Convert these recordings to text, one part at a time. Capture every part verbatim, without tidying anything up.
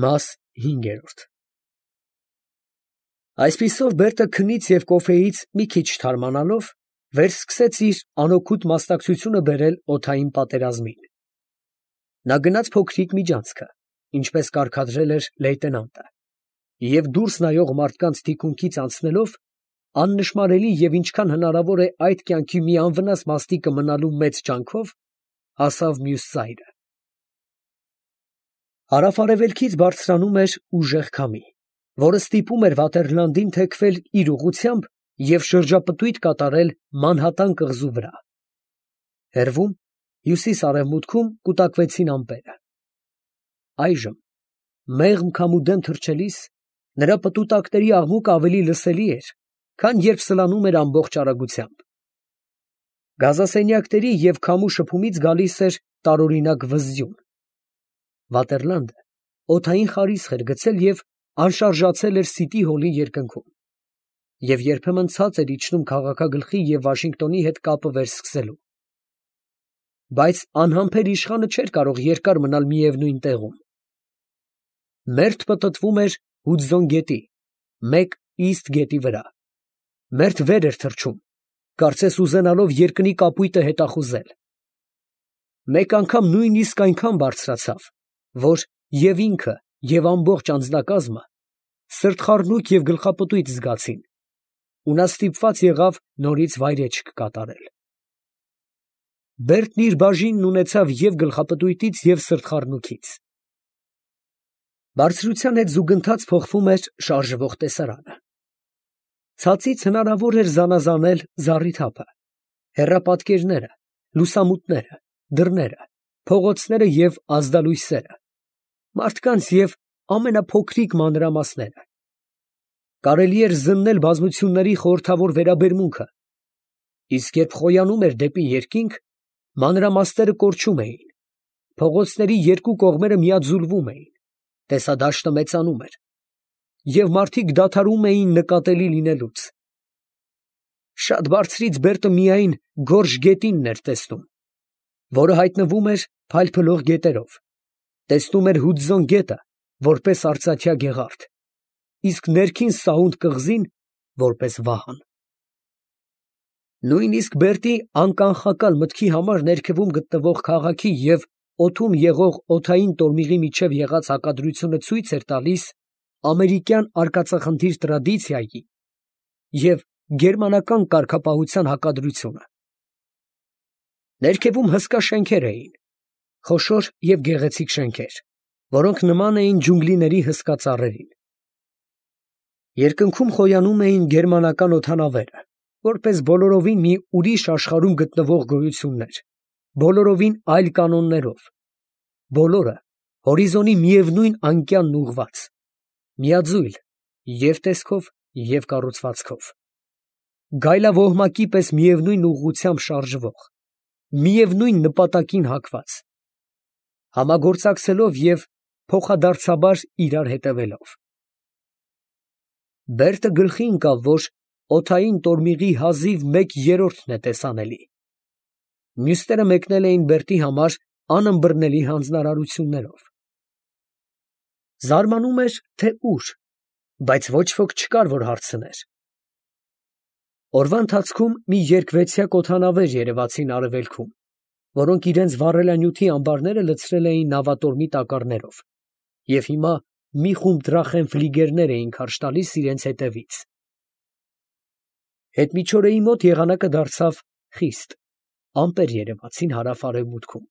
Մաս հինգերորդ Այսպիսով Բերտը քնից և կոֆեից մի քիչ թարմանալով, վերսկսեց իր անօգուտ մասնակցությունը բերել օդային պատերազմին. նա գնաց փոքրիկ միջանցքը, ինչպես կարգադրել էր լեյտենանտը, և դուրս նայող մարդկանց թիկունքից անցնելով, աննշմարելի և ինչքան հնարավոր է այդ կյանքի մի անվնաս մաստիկը մնալու մեծ ջանքով, հասավ մյուս ծայրը. հարավ֊արևելքից բարձրանում էր ուժեղ քամի, որը ստիպում էր Վատերլանդին թեքվել իր ուղղությամբ և շրջապտույտ կատարել Մանհատան կղզու վրա. հեռվում, հյուսիս֊արևմուտքում կուտակվեցին ամպերը. այժմ, մեղմ քամու դեմ թռչելիս, նրա պտուտակների աղմուկը ավելի լսելի էր, քան երբ սլանում էր ամբողջ արագությամբ. գազասենյակների և քամու շփումից գալիս էր տարօրինակ վզզյուն. Վատերլանդը օդային խարիսխ էր գցել և անշարժացել էր Սիթի հոլի երկնքում, և երբեմն ցած էր իջնում քաղաքագլխի և Վաշինգտոնի հետ կապը վերսկսելու. բայց անհամբեր իշխանը չէր կարող երկար մնալ միևնույն տեղում. մերթ պտտվում էր Հուդզոն գետի, մեկ Իսթ գետի վրա, մերթ վեր էր թռչում, կարծես ուզենալով երկնի կապույտը հետախուզել. մեկ անգամ նույնիսկ այնքան բարձրացավ, որ և ինքը, և ամբողջ անձնակազմը սրտխառնոք և գլխապտույտ զգացին, ու նա ստիպված եղավ նորից վայրէջք կատարել. Բերտն իր բաժինն ունեցավ և գլխապտույտից, և սրտխառնոքից. բարձրության հետ զուգընթաց փոխվում էր շարժվող տեսարանը. ցածից հնարավոր էր զանազանել զառիթափը, հեռապատկերները, լուսամուտները, դռները, փողոցները և ազդալույսերը, մարդկանց և ամենափոքրիկ մանրամասները. կարելի էր զննել բազմությունների խորհրդավոր վերաբերմունքը, իսկ երբ խոյանում էր դեպի երկինք, մանրամասները կորչում էին, փողոցների երկու կողմերը միաձուլվում էին, տեսադաշտը մեծանում էր, և մարդիկ դադարում էին նկատելի լինելուց. շատ բարձրից Բերտը միայն Գորժ գետինն էր տեսնում, որը հայտնվում էր փայլփլող գետերով, տեսնում էր Հուդզոն գետը, որպես արծաթյա գեղարդ, իսկ ներքին Սաունդ կղզին, որպես վահան. նույնիսկ Բերտի անկանխակալ մտքի համար ներքևում գտնվող քաղաքի և օդում եղող օդային տորմիղի միջև եղած հակադրությունը ցույց էր տալիս ամերիկյան արկածախնդիր տրադիցիայի և գերմանական կարգապահության հակադրությունը. ներքևում հսկա շենքեր էին, խոշոր և գեղեցիկ շենքեր, որոնք նման էին ջունգլիների հսկա ծառերին. երկնքում խոյանում էին գերմանական օդանավերը, որպես բոլորովին մի ուրիշ աշխարհում գտնվող գոյություններ, բոլորովին այլ կանոններով, բոլորը հորիզոնի միևնույն անկյանն ուղղված, միաձույլ և տեսքով, և կառուցվածքով, գայլավոհմակի պես միևնույն ուղղությամբ շարժվող, միևնույն նպատակին հակված, համագործակցելով և փոխադարձաբար իրար հետևելով. Բերտը գլխի ընկավ, որ օդային տորմիղի հազիվ մեկ երրորդն է տեսանելի, մյուսները մեկնել էին Բերտի համար անըմբռնելի հանձնարարություններով. զարմանում էր, թե ուր, բայց ոչ ոք չկար, որ հարցներ. օրվա ընթացքում մի երկվեցյակ օդանավեր երևացին արևելքում, որոնք իրենց վառելանյութի ամբարները լցրել էին նավատորմի տակառներով, և հիմա մի խումբ դրախենֆլիգերներ էին քարշ տալիս իրենց ետևից. հետմիջօրեի մոտ եղանակը դարձավ խիստ, ամպեր երևացին հարավ֊արևմուտքում,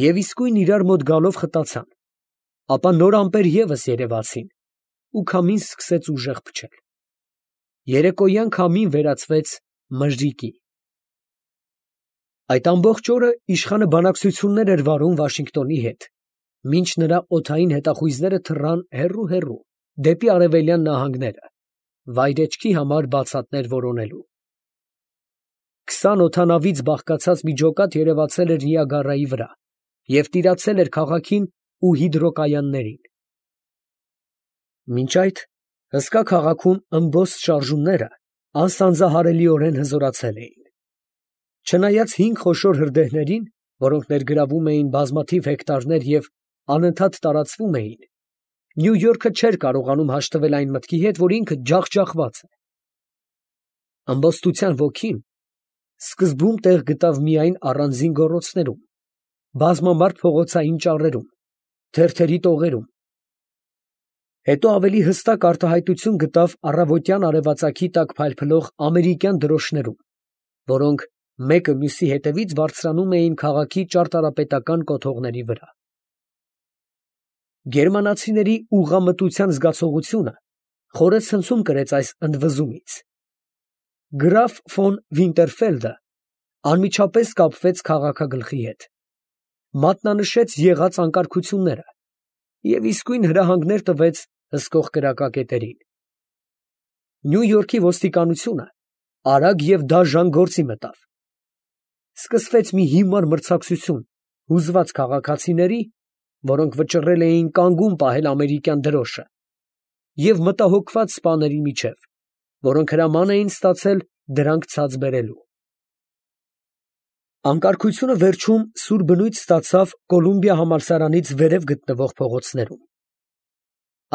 և իսկույն իրար մոտ գալով խտացան, ապա նոր ամպեր ևս երևացին, ու քամին սկսեց ուժեղ փչել. երեկոյան քամին վերածվեց մրրիկի։ Այդ ամբողջ օրը իշխանը բանակցություններ էր վարում Վաշինգտոնի հետ, մինչ նրա օդային հետախույզները թռան հեռու֊հեռու, դեպի արևելյան նահանգները, վայրէջքի համար բացատներ որոնելու։ Քսան օդանավից բաղկացած մի ջոկատ երևացել էր Նիագարայի վրա և տիրացել էր քաղաքին ու հիդրոկայաններին։ Մինչ այդ հսկա քաղաքում ըմբոստ շարժումները անսանձահարելիորեն հզորացել էին. չնայած հինգ խոշոր հրդեհներին, որոնք ներգրավում էին բազմաթիվ հեկտարներ և անընդհատ տարածվում էին, Նյու Յորքը չէր կարողանում հաշտվել այն մտքի հետ, որ ինքը ջախջախված է։ Ամբոստության ոգին սկզբում տեղ գտավ միայն առանձին գոռոցներում, բազմամարդ փողոցային ճառերում, թերթերի տողերում, հետո ավելի հստակ արտահայտություն գտավ առավոտյան արևածագի տակ փայլփլող ամերիկյան դրոշներում, որոնք մեկը մյուսի հետևից բարձրանում էին քաղաքի ճարտարապետական կոթողների վրա։ Գերմանացիների ուղղամտության զգացողությունը խորը ցնցում կրեց այս ընդվզումից։ Գրաֆ ֆոն Վինտերֆելդը անմիջապես կապվեց քաղաքագլխի հետ, մատնանշեց եղած անկարգությունները և իսկույն հրահանգներ տվեց հսկող կրակակետերին։ Նյու Յորքի ոստիկանությունը արագ և դաժան գործի մտավ։ Սկսվեց մի հիմար մրցակցություն հուզված քաղաքացիների, որոնք վճռել էին կանգուն պահել ամերիկյան դրոշը, և մտահոգված սպաների միջև, որոնք հրաման էին ստացել դրանք ցած բերելու։ Անկարգությունը վերջում սուր բնույթ ստացավ Կոլումբիա համալսարանից վերև գտնվող փողոցներում։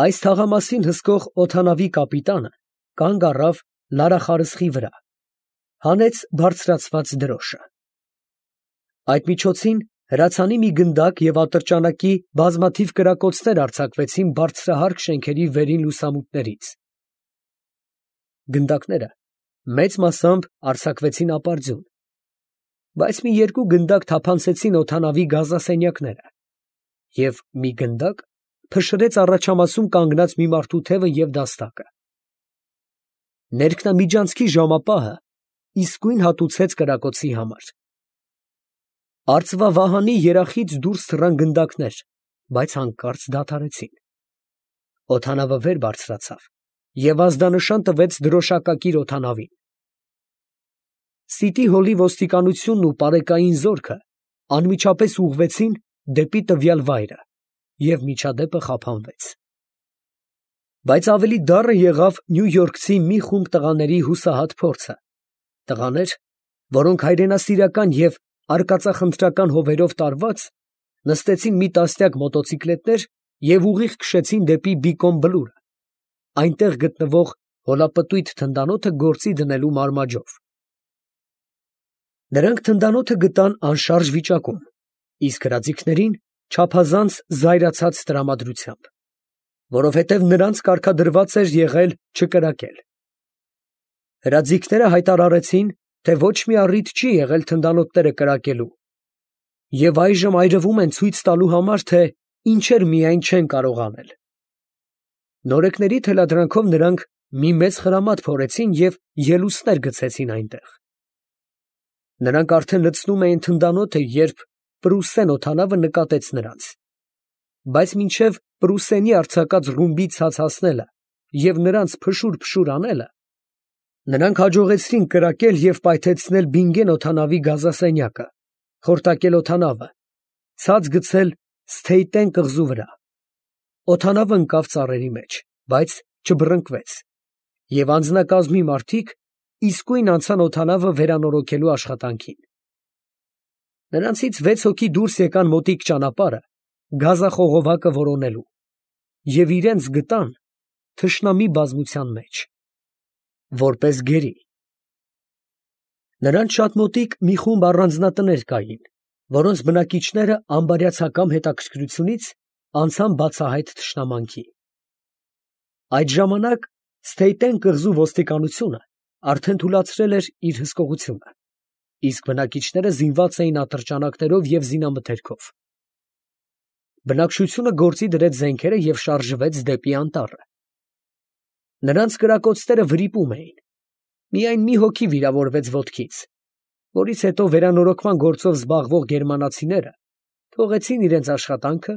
Այս թաղամասին հսկող օդանավի կապիտանը կանգ առավ լարախարսխի վրա, հանեց բարձրացված դրոշը։ Այդ միջոցին հրացանի մի գնդակ և ատրճանակի բազմաթիվ կրակոցներ արձակվեցին բարձրահարկ շենքերի վերին լուսամուտներից։ Գնդակները մեծ մասամբ արձակվեցին ապարդյուն, բայց մի երկու գնդակ թափանցեցին օդանավի գազասենյակները, և մի գնդակ փշրեց առաջամասում կանգնած մի մարդու թևը և դաստակը։ Ներքնամիջանցքի ժամապահը իսկույն հատուցեց կրակոցի համար։ Արծվավահանի երախից դուրս թռան գնդակներ, բայց հանկարծ դադարեցին։ Օդանավը վեր բարձրացավ և ազդանշան տվեց դրոշակակիր օդանավին։ Սիտի հոլի ոստիկանությունն ու պարեկային զորքը անմիջապես ուղղվեցին դեպի տվյալ վայրը, և միջադեպը խափանվեց։ Բայց ավելի դառը եղավ նյույորքցի մի խումբ տղաների հուսահատ փորձը, տղաներ, որոնք հայրենասիրական և արկածախնդրական հովերով տարված, նստեցին մի տասնյակ մոտոցիկլետներ և ուղիղ քշեցին դեպի Բիկոն Բլուրը, այնտեղ գտնվող հոլապտույտ թնդանոթը գործի դնելու մարմաջով։ Նրանք թնդանոթը գտան անշարժ վիճակում, իսկ հրաձիգներին չափազանց զայրացած տրամադրությամբ, որովհետև նրանց կարգադրված էր եղել չկրակել։ Հրաձիգները հայտարարեցին, թե ոչ մի առիթ չի եղել թնդանոթները կրակելու, և այժմ այրվում են ցույց տալու համար, թե ինչեր միայն չեն կարող անել։ Նորեկների թելադրանքով նրանք մի մեծ խրամատ փորեցին և ելուստներ գցեցին այնտեղ։ Նրանք արդեն լցնում էին թնդանոթը, երբ Պրուսեն օդանավը նկատեց նրանց, բայց մինչև Պրուսենի արձակած ռումբի ցած հասնելը և նրանց փշուր֊փշուր անելը, նրանք հաջողեցրին կրակել և պայթեցնել Բինգեն օդանավի գազասենյակը, խորտակել օդանավը, ցած գցել Սթեյտեն կղզու վրա։ Օդանավը ընկավ ծառերի մեջ, բայց չբռնկվեց, և անձնակազմի մարդիկ իսկույն անցան օդանավը վերանորոգելու աշխատանքին։ Նրանցից վեց հոգի դուրս եկան մոտիկ ճանապարհը գազախողովակը որոնելու և իրենց գտան թշնամի բազմության մեջ, որպես գերի։ Նրանց շատ մոտիկ մի խումբ առանձնատներ կային, որոնց բնակիչները անբարյացակամ հետաքրքրությունից անցան բացահայտ թշնամանքի։ Այդ ժամանակ Սթեյտեն կղզու ոստիկանությունը արդեն թուլացրել էր իր հսկողությունը, իսկ բնակիչները զինված էին ատրճանակներով և զինամթերքով։ Բնակչությունը գործի դրեց զենքերը և շարժվեց դեպի անտառը։ Նրանց կրակոցները վրիպում էին։ Միայն մի հոգի վիրավորվեց ոտքից, որից հետո վերանորոգման գործով զբաղվող գերմանացիները թողեցին իրենց աշխատանքը,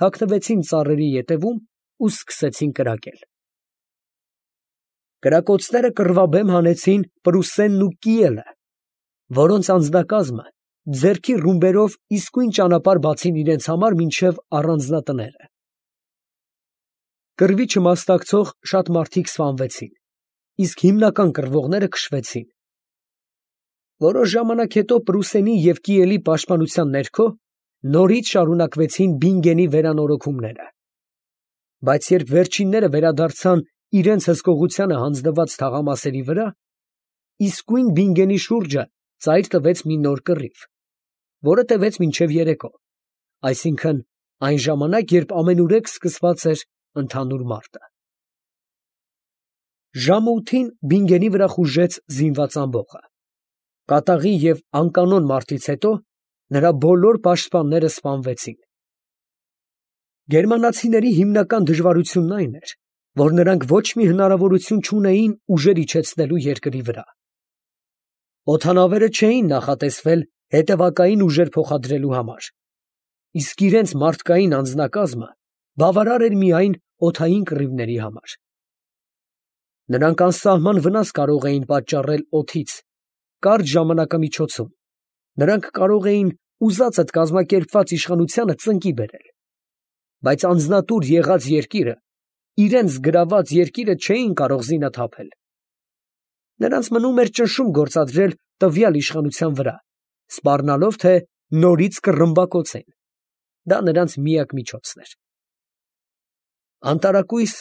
թաքնվեցին ծառերի ետևում ու սկսեցին կրակել։ Կրակոցները կռվաբեմ հանեցին Պրուսենն ու Կիելը, որոնց անձնակազմը ձեռքի ռումբերով իսկույն ճանապարհ բացին իրենց համար մինչև առանձնատները։ Կռվի չմասնակցող շատ մարդիկ սպանվեցին, իսկ հիմնական կռվողները քշվեցին։ Որոշ ժամանակ հետո Պրուսենի և Կիելի պաշտպանության ներքո նորից շարունակվեցին Բինգենի վերանորոգումները։ Բայց երբ վերջինները վերադարձան իրենց հսկողությանը հանձնված թաղամասերի վրա, իսկույն Բինգենի շուրջը ծայր տվեց մի նոր կռիվ, որը տևեց մինչև երեկո, այսինքն այն ժամանակ, երբ ամենուրեք սկսված էր ընդհանուր մարտը։ Ժամը ութին Բինգենի վրա խուժեց զինված ամբոխը։ Կատաղի և անկանոն մարտից հետո նրա բոլոր պաշտպանները սպանվեցին։ Գերմանացիների հիմնական դժվարությունն այն էր, որ նրանք ոչ մի հնարավորություն չունեին ուժեր իջեցնելու երկրի վրա։ Օդանավերը չէին նախատեսվել հետևակային ուժեր փոխադրելու համար, իսկ իրենց մարդկային անձնակազմը բավարար էր միայն օդային կռիվների համար։ Նրանք անսահման վնաս կարող էին պատճառել օդից կարճ ժամանակամիջոցում, նրանք կարող էին ուզածդ կազմակերպված իշխանությանը ծնկի բերել, բայց անձնատուր եղած երկիրը, իրենց գրաված երկիրը չէին կարող զինաթափել։ Նրանց մնում էր ճնշում գործադրել տվյալ իշխանության վրա, սպառնալով, թե նորից կռմբակոծեն։ Դա նրանց միակ միջոցն էր։ Անտարակույս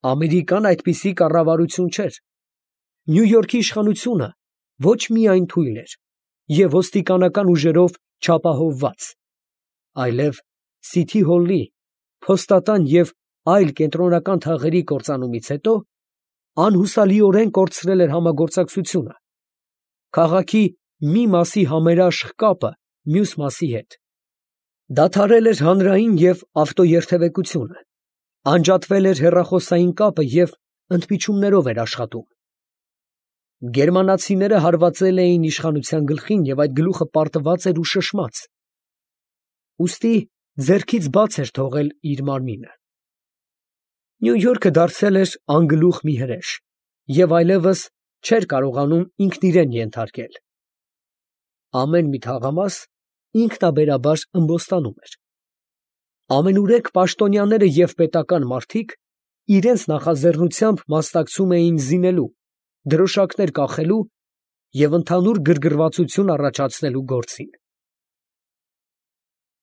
Ամերիկան այդպիսի կառավարություն չէր։ Նյու Յորքի իշխանությունը ոչ միայն թույլ էր և ոստիկանական ուժերով չապահովված, այլև Սիթի Հոլի, փոստատան և այլ կենտրոնական թաղերի կործանումից հետո անհուսալիորեն կորցրել էր համագործակցությունը, քաղաքի մի մասի համերաշխ կապը մյուս մասի հետ, դադարել էր հանրային և ավտոերթևեկությունը, անջատվել էր հեռախոսային կապը և ընդմիջումներով էր աշխատում։ Գերմանացիները հարվածել էին իշխանության գլխին և այդ գլուխը պարտված էր ու շշմած, ուստի ձեռքից բաց էր թողել իր մարմինը։ Նյու Յորքը դարձել էր անգլուխ մի հրեշ և այլևս չէր կարողանում ինքն իրան ենթարկել։ Ամեն մի թաղամաս ինքնաբերաբար ըմբոստանում էր։ Ամենուրեք պաշտոնյաները և պետական մարդիկ իրենց նախաձեռնությամբ մասնակցում էին զինելու, դրոշակներ կախելու և ընդհանուր գրգռվածություն առաջացնելու գործին։